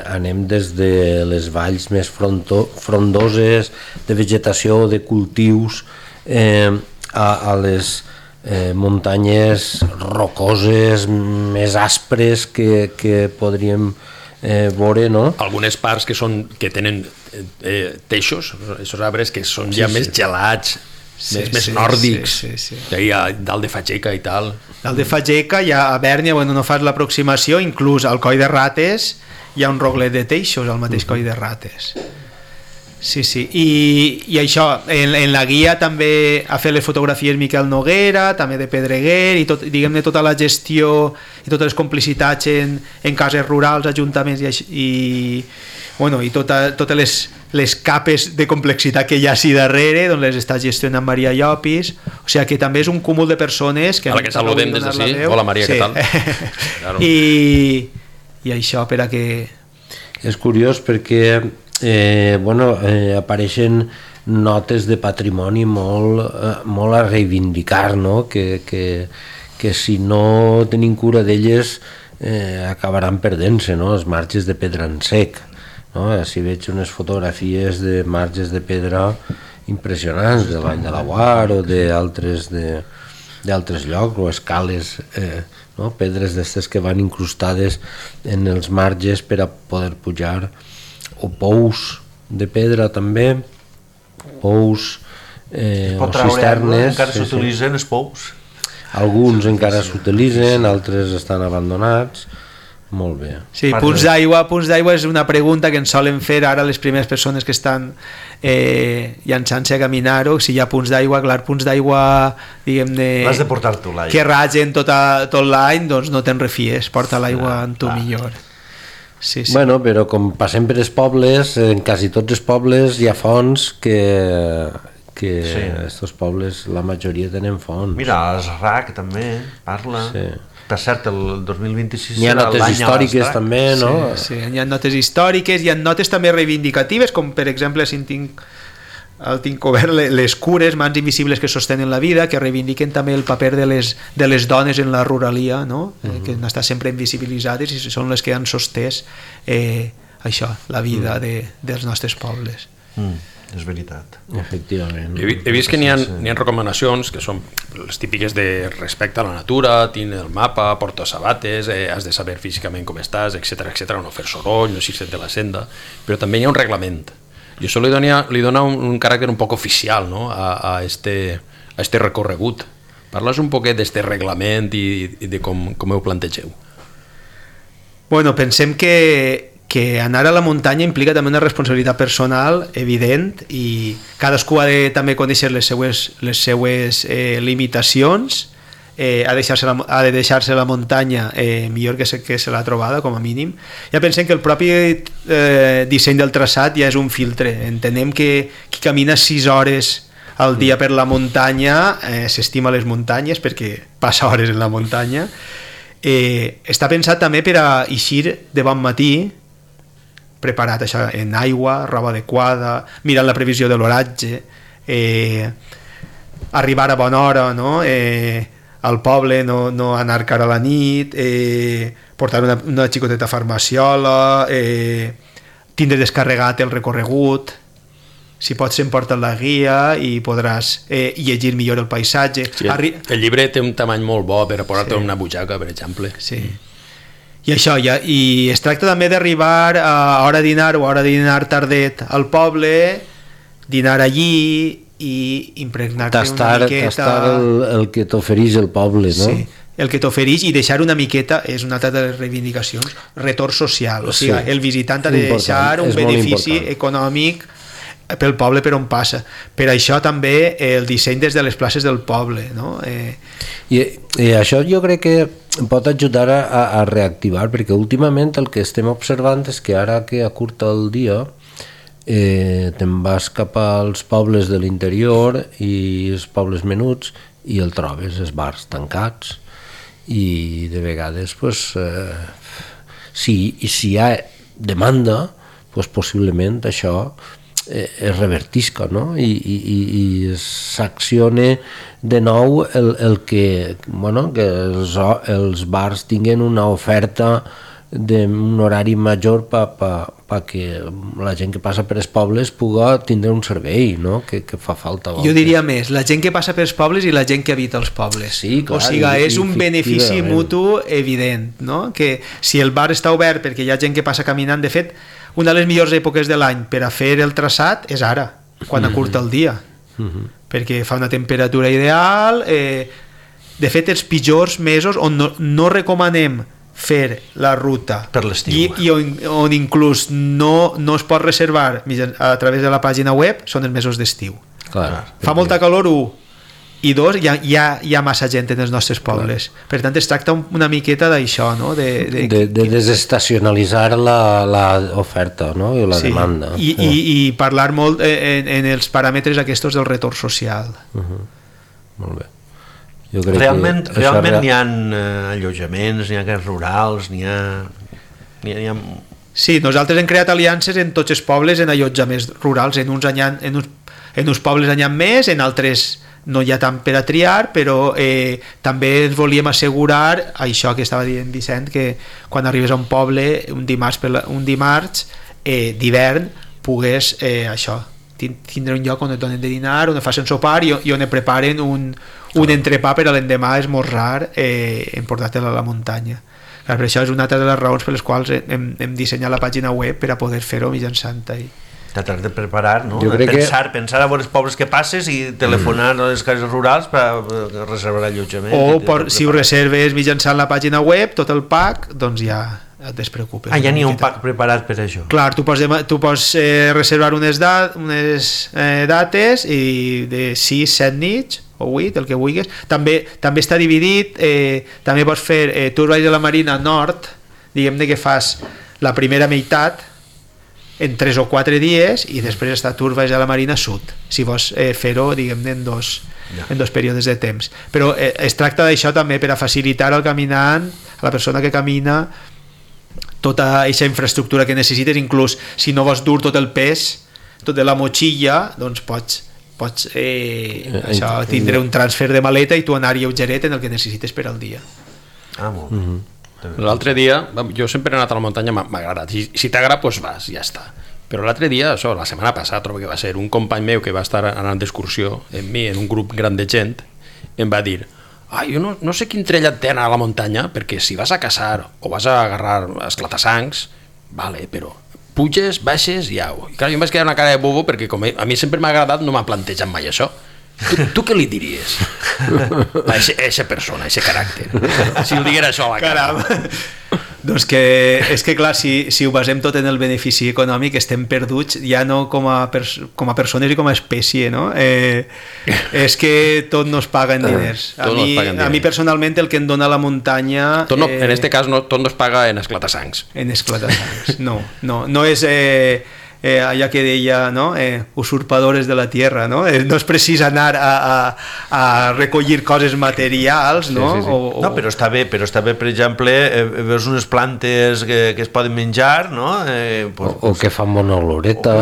anem des de les valls més frondoses de vegetació, de cultius, a les muntanyes rocoses més aspres que podríem veure, no? Algunes parts que tenen teixos, aquests arbres que són ja més gelats, més nòrdics, a dalt de Fageca i tal. Dalt de Fageca, ja a Bèrnia, no fas l'aproximació, inclús al Coll de Rates hi ha un roglet de teixos al mateix Coll de Rates. Sí, i això, en la guia també ha fet les fotografies Miquel Noguera, també de Pedreguer, i diguem-ne tota la gestió i totes les complicitats en cases rurals, ajuntaments i totes les capes de complexitat que hi ha així darrere, doncs les està gestionant Maria Llopis, o sigui que també és un cúmul de persones que... A la que saludem des d'ací. Hola Maria, què tal? Claro. I això per a que... És curiós perquè apareixen notes de patrimoni molt a reivindicar, no? Que si no tenim cura d'elles acabaran perdent-se, no? Els marges de pedra en sec, no? Si veig unes fotografies de marges de pedra impressionants de Vall de Laguar o d'altres llocs, o escales, no? Pedres d'estes que van incrustades en els marges per a poder pujar, o pous de pedra també, pous o cisternes. Encara s'utilitzen els pous. Alguns encara s'utilitzen, altres estan abandonats. Molt bé. Sí, punts d'aigua és una pregunta que ens solen fer ara les primeres persones que estan llançant-se a caminar-ho, si hi ha punts d'aigua, clar, punts d'aigua, diguem-ne... L'has de portar tu l'aigua. Que ragen tot l'any, doncs no te'n refies, porta l'aigua en tu millor. Sí. Bueno, però com passem per els pobles, en quasi tots els pobles hi ha fonts que estos pobles, la majoria tenen fonts. Mira, el RAC també parla. Sí. Per cert, el 2026 hi ha notes històriques també, no? Sí, hi ha notes històriques, hi ha notes també reivindicatives, com per exemple si tinc obert les cures, mans invisibles que sostenen la vida, que reivindiquen també el paper de les dones en la ruralia, no? Que han estat sempre invisibilitzades i són les que han sostès això, la vida dels nostres pobles. És veritat. Efectivament. He vist que n'hi ha recomanacions que són les típiques de respecte a la natura, tinc el mapa, porto sabates, has de saber físicament com estàs, etc, no fer soroll, no eixir de la senda, però també hi ha un reglament. I això li dona un caràcter un poc oficial, no? a este recorregut. Parles un poquet d'este reglament i de com ho plantegeu. Bueno, pensem que anar a la muntanya implica també una responsabilitat personal evident i cadascú ha de també conèixer les seues limitacions, ha de deixar-se la muntanya millor que se l'ha trobada, com a mínim. Ja pensem que el propi disseny del traçat ja és un filtre. Entenem que qui camina 6 hores al dia per la muntanya s'estima les muntanyes perquè passa hores en la muntanya. Està pensat també per a eixir de bon matí preparat això, en aigua, roba adequada, mirant la previsió de l'oratge, arribar a bona hora, no? Al poble, no anar cara a la nit, portar una xicoteta farmaciola, tindre descarregat el recorregut, si pots s'emporta la guia i podràs llegir millor el paisatge. Sí, el llibre té un tamany molt bo per a posar-te una butxaca, per exemple. Sí. I això, i es tracta també d'arribar a hora de dinar o a hora de dinar tardet al poble dinar allí i impregnar-te una miqueta... Tastar el que t'ofereix el poble, no? Sí, el que t'ofereix i deixar una miqueta és una altra de les reivindicacions, retorn social, o sigui, el visitant ha de deixar un benefici econòmic pel poble per on passa. Per això també el disseny des de les places del poble, no? I això jo crec que pot ajudar a reactivar, perquè últimament el que estem observant és que ara que acurta el dia te'n vas cap als pobles de l'interior i els pobles menuts i el trobes, els bars tancats, i de vegades pues, si hi ha demanda pues, possiblement això es revertisca, no? I s'acciona de nou el que, bueno, que els bars tinguen una oferta d'un horari major perquè la gent que passa per els pobles puga tindre un servei, no? que fa falta. Jo diria més, la gent que passa pels pobles i la gent que habita els pobles. Sí, clar, o sigui, és un benefici mutu evident, no? Que si el bar està obert perquè hi ha gent que passa caminant, de fet, una de les millors èpoques de l'any per a fer el traçat és ara, quan acurta el dia, perquè fa una temperatura ideal. De fet, els pitjors mesos on no recomanem fer la ruta per l'estiu i on inclús no es pot reservar a través de la pàgina web són els mesos d'estiu. Fa molta calor, 1, i 2, hi ha massa gent en els nostres pobles. Per tant, es tracta una miqueta d'això, no? de desestacionalitzar l'oferta, no? I la demanda. I parlar molt en els paràmetres aquests del retorn social. Molt bé. Realment n'hi ha allotjaments, n'hi ha cases rurals, n'hi ha... Sí, nosaltres hem creat aliances en tots els pobles en allotjaments rurals, en uns pobles n'hi ha més, en altres no hi ha tant per a triar, però també ens volíem assegurar això que estava dient Vicent, que quan arribes a un poble un dimarts d'hivern pugues tindre un lloc on et donen de dinar, on et facin sopar i on et preparen un entrepà per a l'endemà esmorzar en portar-te'l a la muntanya. Clar, per això és una altra de les raons per les quals hem dissenyat la pàgina web per a poder fer-ho mitjançant ahir. T'has de preparar, no? Pensar a veure els pobles que passes i telefonar a les cases rurals per reservar allotjament. O si ho reserves mitjançant la pàgina web, tot el pack, doncs ja et despreocupes. Ja n'hi ha un pack preparat per això. Clar, tu pots reservar unes dates i de 6, 7 nits o 8, el que vulguis. També està dividit, també pots fer Tours Valls de la Marina Nord, diguem-ne que fas la primera meitat en 3 o 4 dies i després està Tours Valls de la Marina Sud, si vols fer-ho, diguem-ne, en dos períodes de temps. Però es tracta d'això també per a facilitar al caminant, a la persona que camina, tota aquesta infraestructura que necessites, inclús si no vols dur tot el pes, tot de la motxilla, doncs pots tindre un transfer de maleta i tu anar lleugeret en el que necessites per al dia. Molt bé. L'altre dia, jo sempre he anat a la muntanya, m'ha agradat, si t'agrada doncs vas, ja està. Però l'altre dia, la setmana passada trobo que va ser, un company meu que va estar anant d'excursió amb mi en un grup gran de gent em va dir: jo no sé quin trellat té anar a la muntanya, perquè si vas a caçar o vas a agarrar esclatasangs, vale, però puges, baixes i au. I clar, jo em vaig quedar una cara de bobo perquè com a mi sempre m'ha agradat, no m'ha plantejat mai això. Tu què li diries a aquesta persona, a aquest caràcter, si ho diguera això a la cara? Doncs que és que clar, si ho basem tot en el benefici econòmic estem perduts ja no com a persones i com a espècie, no? És que tot no es paga en diners. A mi personalment el que em dona la muntanya en este cas tot no es paga en esclatasangs. En esclatasangs, no és allà que deia, no? Usurpadores de la tierra, no? No és precís anar a recollir coses materials, no? Sí. No, però està bé, per exemple, veus unes plantes que es poden menjar, no? O que fan bona oloreta,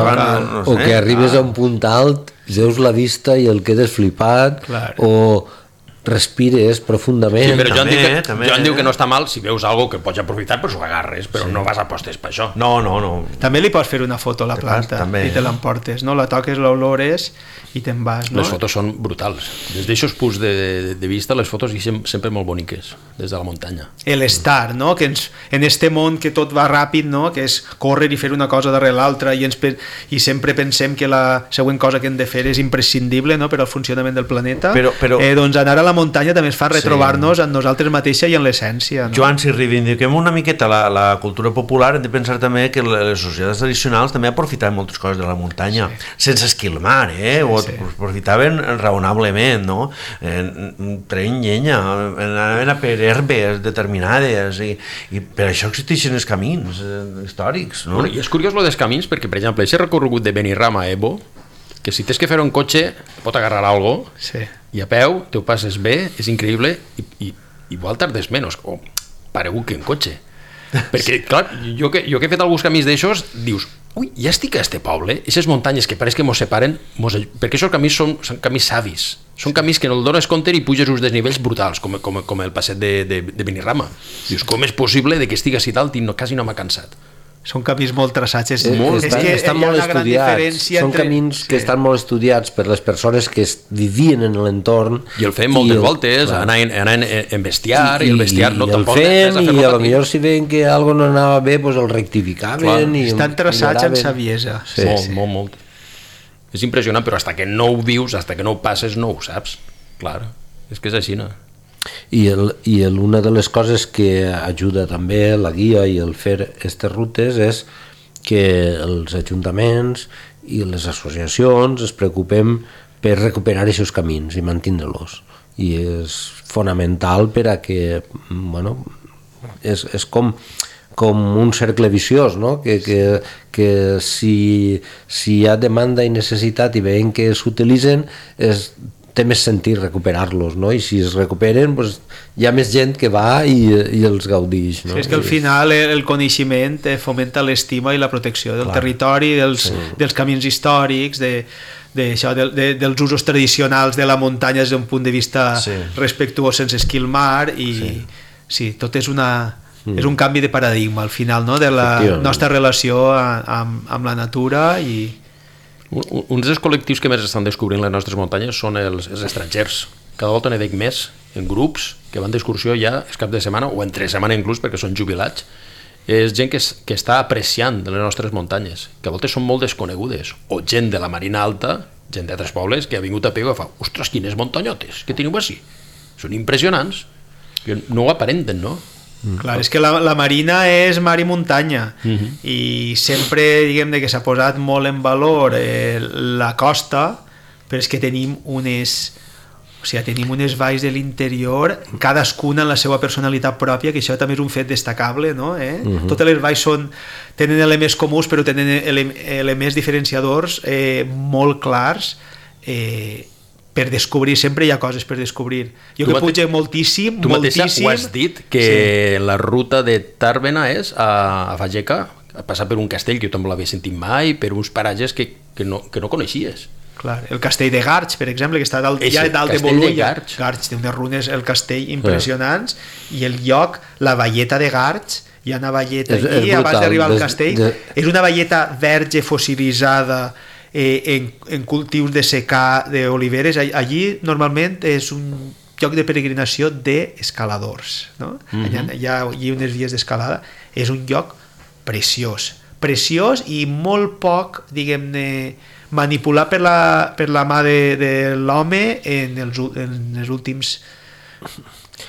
o que arribes a un punt alt, veus la vista i el quedes flipat, o respires profundament. Sí, però Joan, També. Joan diu que no està mal si veus algo que pots aprofitar, però s'ho agarres, però no vas a postes per això. No. També li pots fer una foto a la planta també. i te l'emportes, no? La toques, l'olores i te'n vas, no? Les fotos són brutals. Des d'aixòs punts de vista, les fotos són sempre molt boniques, des de la muntanya. L'estar, no? Que en este món que tot va ràpid, no? Que és córrer i fer una cosa darrere l'altra i sempre pensem que la següent cosa que hem de fer és imprescindible, no? Per al funcionament del planeta. Però doncs anar a la muntanya també es fa retrobar-nos en nosaltres mateixes i en l'essència, no? Joan, si reivindiquem una miqueta la cultura popular, hem de pensar també que les societats tradicionals també aprofitaven moltes coses de la muntanya, sense esquilmar, o aprofitaven raonablement, no? Treien llenya, anaven a per herbes determinades i per això existeixen els camins històrics, no? Bueno, i és curiós lo dels camins, perquè, per exemple, aquest recorregut de Benirrama a Ebo, que si tens que fer un cotxe pot agarrar algo, i a peu te ho passes bé, és increïble, i igual tardes menys, o paregut que en cotxe. Perquè, clar, jo que he fet alguns camins d'aixòs, dius, ui, ja estic a este poble, aquestes muntanyes que pareix que mos separen, perquè aquests camins són camins savis, són camins que no el dones compte i puges uns desnivells brutals, com el passet de Benirrama. Dius, com és possible que estigui així dalt i quasi no m'ha cansat? Són camins molt traçats, estan molt estudiats, són camins que estan molt estudiats per les persones que vivien en l'entorn i el fem moltes voltes, anaven en bestiar i el bestiar no tampoc i potser si veien que algo no anava bé doncs el rectificaven i estan traçats amb saviesa. Molt. És impressionant, però hasta que no ho vius, hasta que no ho passes, no ho saps. Clar, és que és així, no? I una de les coses que ajuda també la guia i el fer aquestes rutes és que els ajuntaments i les associacions es preocupem per recuperar aquests camins i mantindre-los, i és fonamental per a que és com un cercle viciós, no? que si hi ha demanda i necessitat i veiem que s'utilitzen té més sentit recuperar-los, no? I si es recuperen doncs hi ha més gent que va i els gaudix, no? Sí, és que al final el coneixement fomenta l'estima i la protecció del territori, dels camins històrics, dels usos tradicionals de la muntanya des d'un punt de vista respectuós, sense esquilmar, i tot és un canvi de paradigma al final, no? De la nostra relació amb la natura. I uns dels col·lectius que més estan descobrint les nostres muntanyes són els estrangers. Cada volta n'hi veig més en grups que van d'excursió ja el cap de setmana o entre setmana inclús, perquè són jubilats. És gent que està apreciant de les nostres muntanyes, que a voltes són molt desconegudes, o gent de la Marina Alta, gent d'altres pobles que ha vingut a Pego i fa, ostres, quines muntanyotes que teniu així, són impressionants, que no ho aparenten, no? Clar, és que la Marina és mar i muntanya, i sempre diguem que s'ha posat molt en valor la costa, però és que tenim unes valls de l'interior, cadascuna en la seva personalitat pròpia, que això també és un fet destacable, no? Totes les valls tenen elements comuns, però tenen elements diferenciadors molt clars, per descobrir, sempre hi ha coses per descobrir. Jo que pujo moltíssim, tu mateixa ho has dit, que la ruta de Tàrbena és a Fageca, a passar per un castell que jo també l'havia sentit mai, per uns paratges que no coneixies. Clar, el castell de Garch, per exemple, que està dalt de Bolulla. Garch té unes runes, el castell, impressionants, i el lloc, la valleta de Garch, hi ha una valleta aquí, abans d'arribar al castell, és una valleta verge fossilitzada, en cultius de secà d'oliveres. Allí normalment és un lloc de peregrinació d'escaladors, no? Hi ha unes vies d'escalada. És un lloc preciós i molt poc, diguem-ne, manipulat per la mà de l'home en els últims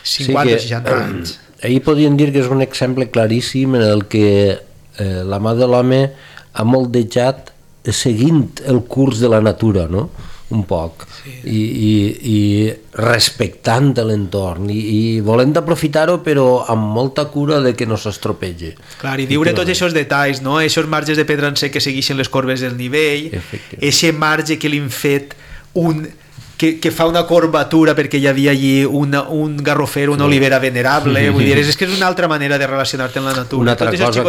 50 o 60 anys. Ahir podríem dir que és un exemple claríssim en el que la mà de l'home ha moldejat seguint el curs de la natura, no? Un poc, i respectant l'entorn i volent aprofitar-ho, però amb molta cura de que no s'estropegi. Clar, i viure tots aquests detalls, no? Aquests marges de pedra en sec que segueixen les corbes del nivell, aquest marge que li han fet que fa una corbatura perquè hi havia allí un garrofer, una olivera venerable, vull dir, és que és una altra manera de relacionar-te amb la natura. Una altra cosa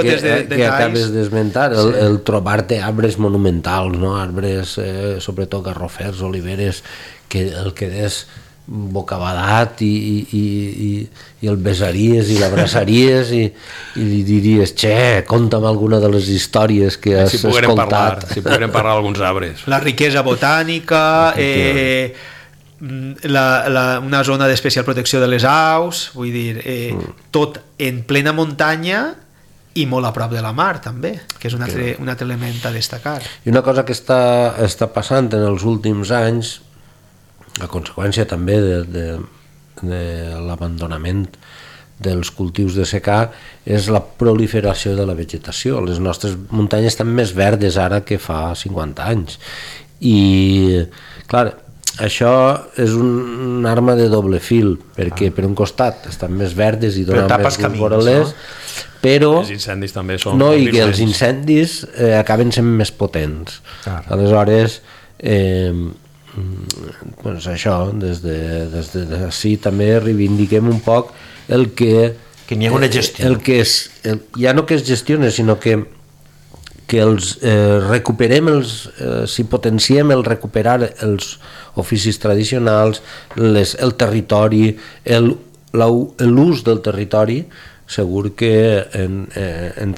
que acabes d'esmentar, el trobar-te arbres monumentals, no? Arbres, sobretot garrofers, oliveres, que el que és bocabadat i el besaries i l'abraçaries i li diries, conta'm alguna de les històries que has escoltat. Si poguérem parlar d'alguns arbres. La riquesa botànica, una zona d'especial protecció de les aus, vull dir, tot en plena muntanya i molt a prop de la mar també, que és un altre element a destacar. I una cosa que està passant en els últims anys, a conseqüència també de l'abandonament dels cultius de secà, és la proliferació de la vegetació. Les nostres muntanyes estan més verdes ara que fa 50 anys. I, clar, això és una arma de doble fil, perquè per un costat estan més verdes i donen més llum voralers, però els incendis també són... No, i que els incendis acaben sent més potents. Aleshores, doncs això, des d'ací també reivindiquem un poc el que n'hi ha una gestió, ja no que es gestione, sinó que els recuperem, si potenciem el recuperar els oficis tradicionals, el territori, l'ús del territori, segur que en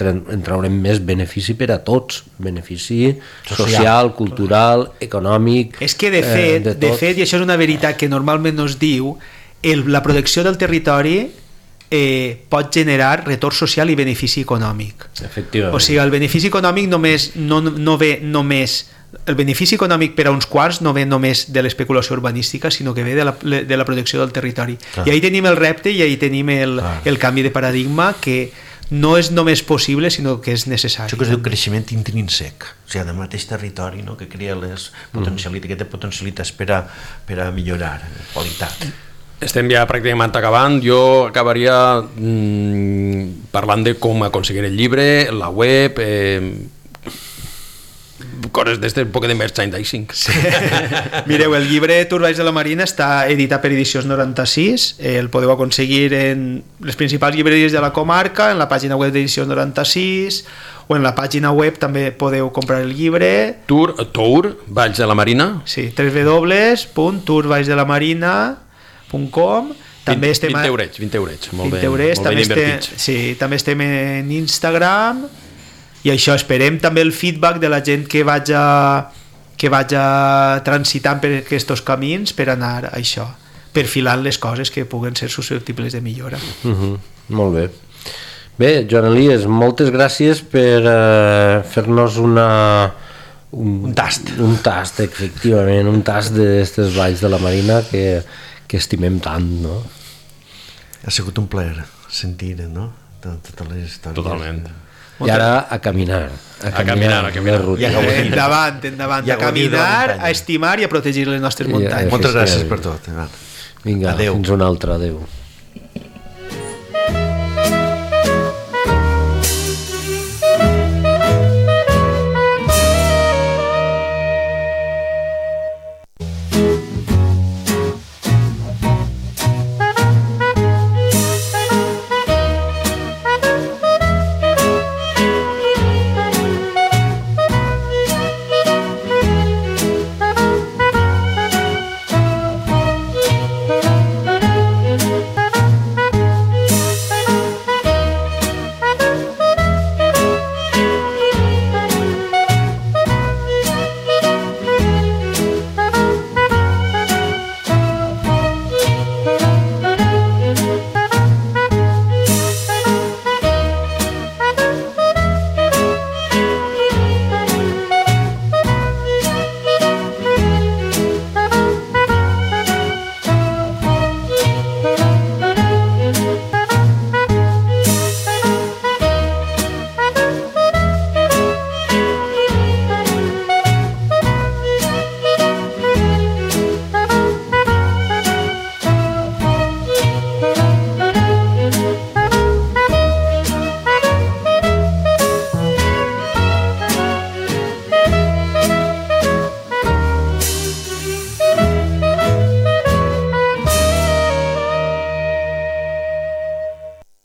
traurem més benefici per a tots, benefici social, cultural, econòmic. És que de fet, i això és una veritat que normalment no es diu, la protecció del territori pot generar retorn social i benefici econòmic. Efectivament. O sigui, el benefici econòmic no ve només, el benefici econòmic per a uns quants no ve només de l'especulació urbanística, sinó que ve de la protecció del territori. Clar. I ahí tenim el repte i ahí tenim el canvi de paradigma, que no és només possible, sinó que és necessari. Això que es diu creixement intrínsec, o sigui, del mateix territori, no? Que crea les potencialitats, que té potencialitats per a millorar qualitat. Estem ja pràcticament acabant. Jo acabaria parlant de com aconseguir el llibre, la web, coses d'este poc de merchandising. Sí. Mireu, el llibre Tour Valls de la Marina està editat per Edicions 96, el podeu aconseguir en les principals llibreries de la comarca, en la pàgina web d'Edicions 96, o en la pàgina web també podeu comprar el llibre. Tour Valls de la Marina? Sí, www.tourvallsdelamarina.com. També 20 eurets, molt ben invertits. Sí, també estem en Instagram, i això, esperem també el feedback de la gent que vaja transitant per aquests camins per anar a això, perfilant les coses que puguen ser susceptibles de millora. Molt bé. Bé, Joan Elies, moltes gràcies per fer-nos un tast, efectivament, un tast d'aquestes valls de la Marina que estimem tant, no? Ha sigut un plaer sentir, no? Totes les històries. Totalment. I ara a caminar. A caminar. Endavant, a caminar, a estimar i a protegir les nostres muntanyes. Moltes gràcies per tot. Vinga, fins una altra, adeu.